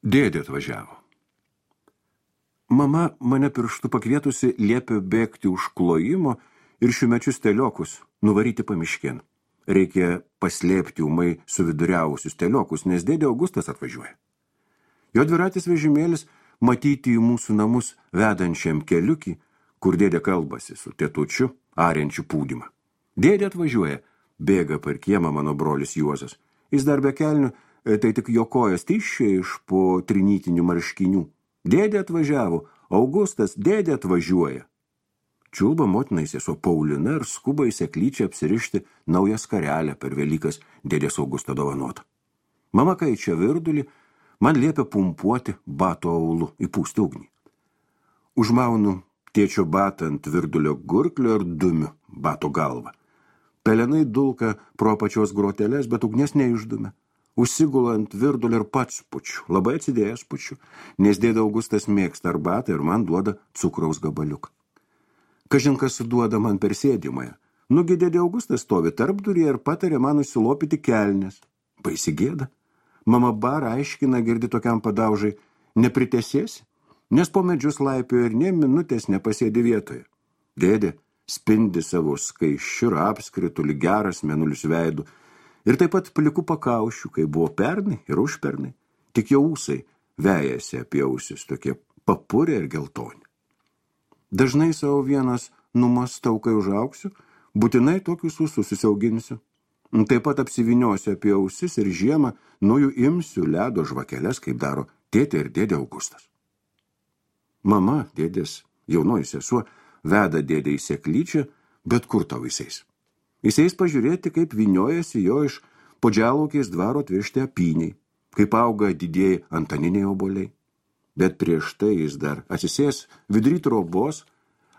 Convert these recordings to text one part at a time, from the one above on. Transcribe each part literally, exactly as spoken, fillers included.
Dėdė atvažiavo. Mama mane pirštu pakvietusi liepė bėgti už klojimo ir šiumečius teliokus nuvaryti pamiškien. Reikia paslėpti ūmai suviduriavusius teliokus, nes dėdė Augustas atvažiuoja. Jo dviratis vežimėlis matyti į mūsų namus vedančiam keliukį, kur dėdė kalbasi su tėtučiu, ariančiu pūdymą. Dėdė atvažiuoja, bėga per kiemą mano brolis Juozas. Jis dar be kelnių, tai tik jo kojas tyščia iš po trinytinių marškinių. Dėdė atvažiavo, Augustas, dėdė atvažiuoja. Čiulba motinai sesuo Paulina ir skuba į seklyčią apsirišti naują skarelę per Velykas dėdės Augusto dovanotą. Mama kaičia virdulį, man liepia pumpuoti bato aulu, įpūsti ugnį. Užmaunu tėčio batą ant virdulio gurklio ir dumiu bato galvą. Pelenai dulka pro pačios groteles, bet ugnies neišdumia. Užsigulu ant virdulio ir pats pučiu, labai atsidėjęs pučiu, nes dėdė Augustas mėgsta arbatą ir man duoda cukraus gabaliuką. Kažinkas duoda man per sėdimąją. Nugi dėdė Augustas stovi tarpduryje ir patarė man nusilopyti kelnes. Baisi gėda. Mama bara aiškina, girdi tokiam padaužai, nepritesėsi, nes po medžius laipiojo ir nė minutės nepasėdi vietoje. Dėdė spindi savo skaisčiu ir apskritu lyg geras mėnulis veidu, ir taip pat pliku pakaušiu, kai buvo pernai ir užpernai, tik jau ūsai vejasi apie ausis, tokie papurė ir geltoni. Dažnai savo vienas numastau, kai užauksiu, būtinai tokius ūsus susiauginsiu. Taip pat apsiviniosiu apie ausis ir žiemą nuo jų imsiu ledo žvakeles, kaip daro tėtė ir dėdė Augustas. Mama, dėdės jaunoji sesuo, veda dėdė į seklyčią, bet kur tau jisais. Jisais pažiūrėti, kaip vyniojasi jo iš podžialaukiais dvaro atvežti apyniai, kaip auga didieji antaniniai oboliai. Bet prieš tai jis dar atsisės vidury trobos,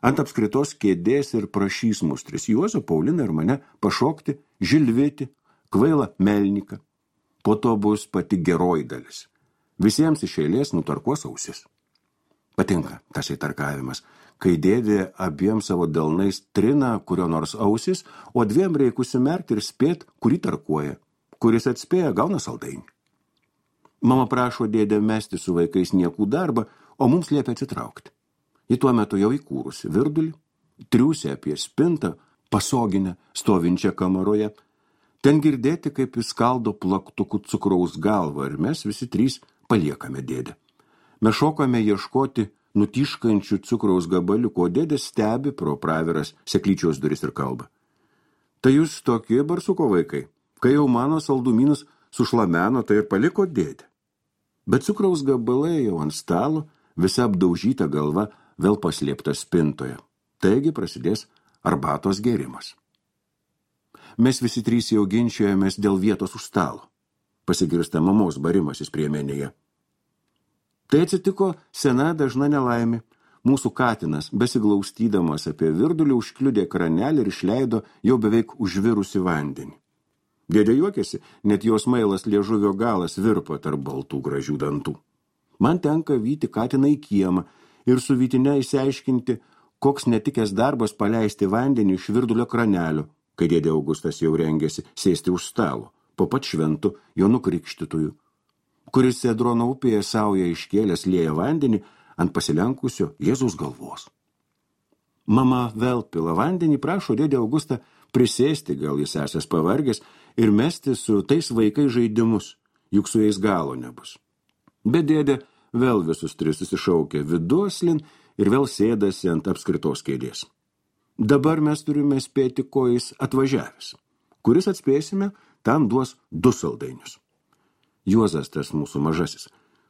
ant apskritos kėdės ir prašys mus tris Juozą, Pauliną ir mane pašokti, žilvėti, kvailą melniką. Po to bus pati geroji dalis. Visiems iš eilės nutarkuos ausis. Patinka tas įtarkavimas, kai dėdė abiem savo delnais trina kurio nors ausis, o dviem reikia užsimerkti ir spėt, kurį tarkuoja. Kuris atspėja, gauna saldainį. Mama prašo dėdę mesti su vaikais niekų darbą, o mums liepia atsitraukti. Ji tuo metu jau įkūrusi virdulį, triūsė apie spintą, pasoginę, stovinčią kamaroje. Ten girdėti, kaip jis skaldo plaktukų cukraus galvą ir mes visi trys paliekame dėdę. Mes šokame ieškoti nutiškančių cukraus gabaliukų, o dėdė stebi pro praviras seklyčios duris ir kalba. Tai jūs tokie barsuko vaikai, kai jau mano saldumynus sušlameno, tai ir paliko dėdė. Bet cukraus gabalai jau ant stalo, visa apdaužyta galva vėl paslėpta spintoje. Taigi prasidės arbatos gėrimas. Mes visi trys jau ginčiojomės dėl vietos už stalo. Pasigirsta mamos barimasis priemenėje. Tai atsitiko sena dažna nelaimė. Mūsų katinas, besiglaustydamas apie virdulį, užkliudė kranelį ir išleido jau beveik užvirusi vandenį. Dėdė juokėsi, net jos mailas liežuvio galas virpa tarp baltų gražių dantų. Man tenka vyti katiną į kiemą ir su vytine išsiaiškinti, koks netikęs darbas paleisti vandenį iš virdulio kranelio, kai dėdė Augustas jau rengėsi sėsti už stalo, po pat šventu jo nukrikštytųjų, kuris Cedrono upėje sauja iškėlęs lieja vandenį ant pasilenkusio Jėzaus galvos. Mama vėl pila vandenį, prašo dėdė Augustą prisėsti, gal jis esas pavargęs, ir mesti su tais vaikai žaidimus, juk su jais galo nebus. Bet dėdė vėl visus tris susišaukia viduoslin ir vėl sėdasi ant apskritos kėdės. Dabar mes turime spėti, ko jis atvažiavęs. Kuris atspėsime, tam duos du saldainius. Juozas tas mūsų mažasis.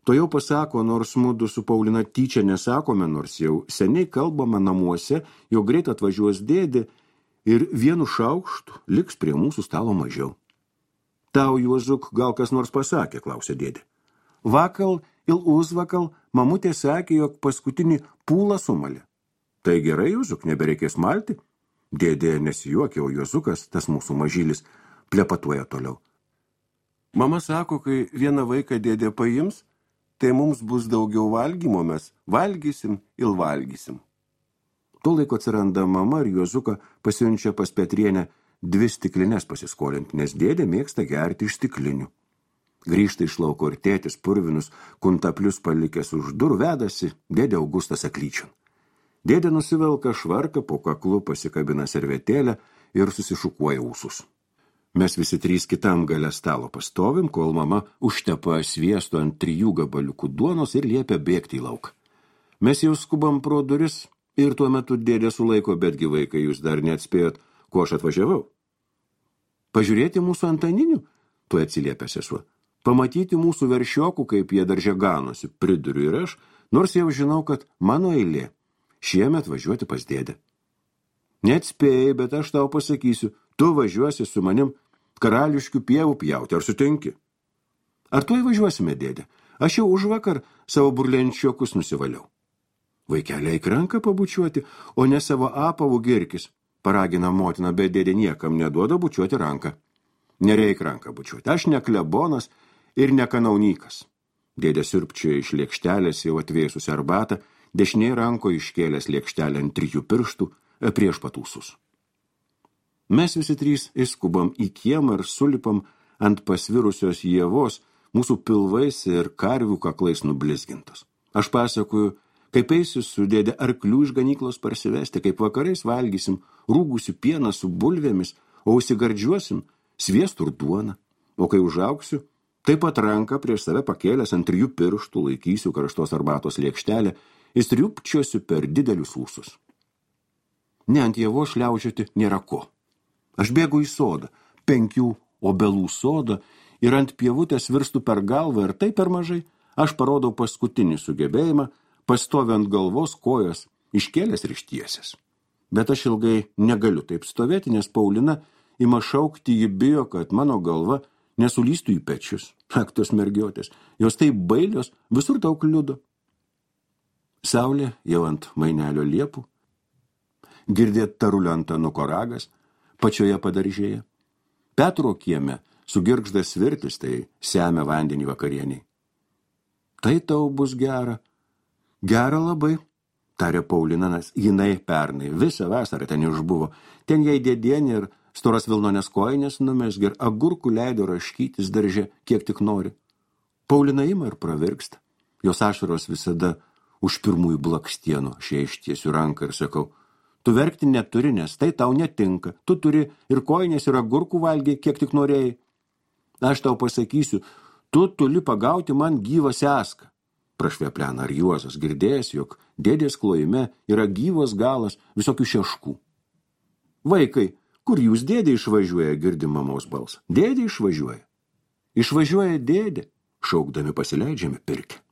To jau pasako, nors mudu su Paulina tyčia nesakome, nors jau seniai kalbama namuose, jau greit atvažiuos dėdė ir vienu šaukštu liks prie mūsų stalo mažiau. Tau, Juozuk, gal kas nors pasakė, klausė dėdė. Vakal ir užvakal mamutė sakė, jog paskutinį pūlą sumalė. Tai gerai, Juozuk, nebereikės malti? Dėdė nesijuokė, o Juozukas, tas mūsų mažylis, plepatuoja toliau. Mama sako, kai vieną vaiką dėdė paims, tai mums bus daugiau valgymo, mes valgysim ir valgysim. Tuo laiko atsiranda mama ir Juozuką pasiunčia pas Petrienę dvi stiklinės pasiskolinti, nes dėdė mėgsta gerti iš stiklinių. Grįžta iš lauko ir tėtis purvinus, kuntaplius palikęs už durų vedasi dėdė Augustas aklyčion. Dėdė nusivelka švarką, po kaklu pasikabina servetėlę ir susišukuoja ūsus. Mes visi trys kitam gale stalo pastovim, kol mama užtepa sviesto ant trijų gabaliukų duonos ir liepia bėgti į lauką. Mes jau skubam pro duris ir tuo metu dėdė sulaiko, betgi vaikai, jūs dar neatspėjot, ko aš atvažiavau. Pažiūrėti mūsų antaninių, tuo atsiliepia sesuo. Pamatyti mūsų veršiokų, kaip jie darže ganosi, priduriu ir aš, nors jau žinau, kad mano eilė šiemet važiuoti pas dėdę. Neatspėjai, bet aš tau pasakysiu, tu važiuosi su manim karališkių pievų pjauti, ar sutinki? Ar tu įvažiuosime, dėdė? Aš jau už vakar savo burlenčiokus nusivaliau. Vaikeliai eik ranką pabučiuoti, o ne savo apavų girkis, paragina motina, bet dėdė niekam neduoda bučiuoti ranką. Nereik ranką bučiuoti, aš ne klebonas ir ne kanaunykas. Dėdė siurbčioja iš lėkštelės jau atvėsusi arbatą, dešinėje ranko iškėlęs lėkštelę ant trijų pirštų prieš patūsus. Mes visi trys įskubam į kiemą ir sulipam ant pasvirusios ievos, mūsų pilvais ir karvių kaklais nublizgintos. Aš pasakoju, kaip eisiu su dėdė arklių iš ganyklos parsivesti, kaip vakarais valgysim rūgusių pieną su bulvėmis, o užsigardžiuosim sviestų ir duoną. O kai užauksiu, taip pat ranką prieš save pakėlęs ant trijų pirštų laikysiu karštos arbatos lėkštelę ir striupčiosiu per didelius ūsus. Ne ant ievo šliaužioti nėra ko. Aš bėgu į sodą, penkių obelų sodą ir ant pievutės virstu per galvą ir tai per mažai. Aš parodau paskutinį sugebėjimą, pastoviu ant galvos kojas, iškėlęs ir ištiesęs. Bet aš ilgai negaliu taip stovėti, nes Paulina ima šaukti, ji bijo, kad mano galva nesulystų į pečius. Ak, tos mergiotės, jos taip bailios, visur tau kliudo. Saulė jau ant mainelio liepų, girdėt taruliantą nukoragas, pačioje padaržėje. Petro kieme sugirgždas svirtis, tai semia vandenį vakarieniai. Tai tau bus gera. Gera labai, tarė Paulina, nes jinai pernai visą vasarą ten išbuvo. Ten jai dėdienė ir storas vilnonės kojinės numesgė ir agurkų leido raškytis darže, kiek tik nori. Paulina ima ir pravirksta. Jos ašaros visada už pirmųjų blakstienų. Aš jai ištiesiu ranką ir sakau, tu verkti neturi, nes tai tau netinka. Tu turi ir kojinės, ir agurkų valgiai, kiek tik norėjai. Aš tau pasakysiu, tu tuli pagauti man gyvą seską. Prašveplena ar Juozas, girdėjęs, jog dėdės klojime yra gyvas galas visokių šeškų. Vaikai, kur jūs dėdė išvažiuoja, girdi mamos balsą. Dėdė išvažiuoja. Išvažiuoja dėdė, šaukdami pasileidžiame pirkę.